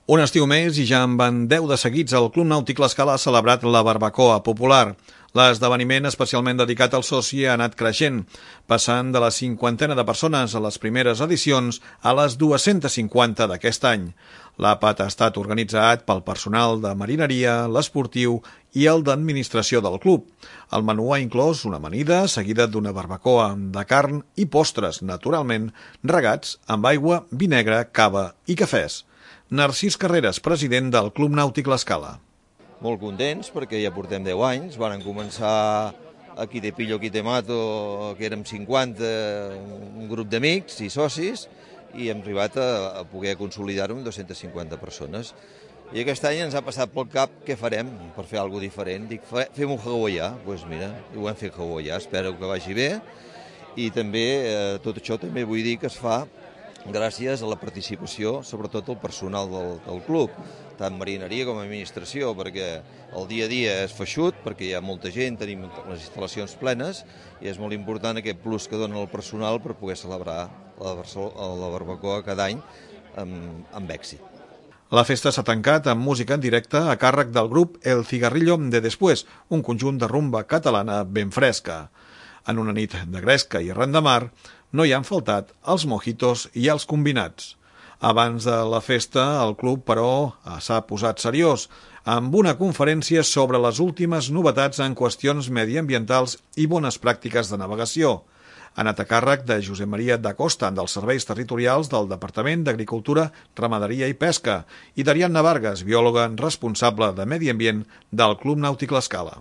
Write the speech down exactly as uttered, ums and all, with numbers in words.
Un estiu més i ja en van deu de seguits, el Club Nàutic L'Escala ha celebrat la barbacoa popular. L'esdeveniment especialment dedicat al soci ha anat creixent, passant de la cinquantena de persones a les primeres edicions a les dues-centes cinquanta d'aquest any. L'àpat ha estat organitzat pel personal de marineria, l'esportiu i el d'administració del club. El menú ha inclòs una amanida seguida d'una barbacoa de carn i postres, naturalment, regats amb aigua, vi negre, cava i cafès. Narcís Carreras, president del Club Nàutic L'Escala. Molt contents perquè ja portem deu anys, varen començar aquí de Pillo, aquí de Mato, que érem cinquanta, un grup d'amics i socis, i hem arribat a, a poder consolidar-ho amb dues-centes cinquanta persones. I aquest any ens ha passat pel cap què farem per fer alguna cosa diferent. Dic, fem un hawaià, doncs pues mira, ho hem fet hawaià, espero que vagi bé, i també eh, tot això també vull dir que es fa gràcies a la participació, sobretot del personal del, del club, tant marineria com administració, perquè el dia a dia és feixut, perquè hi ha molta gent, tenim les instal·lacions plenes, i és molt important aquest plus que dona el personal per poder celebrar la, la barbacoa cada any amb, amb èxit. La festa s'ha tancat amb música en directe a càrrec del grup El Cigarrillo de Después, un conjunt de rumba catalana ben fresca. En una nit de gresca i arran de mar, no hi han faltat els mojitos i els combinats. Abans de la festa, el club, però, s'ha posat seriós, amb una conferència sobre les últimes novetats en qüestions mediambientals i bones pràctiques de navegació. Ha anat a càrrec de Josep Maria da Costa, dels Serveis Territorials del Departament d'Agricultura, Ramaderia i Pesca, i d'Ariadna Vargas, biòloga responsable de Medi Ambient del Club Nàutic L'Escala.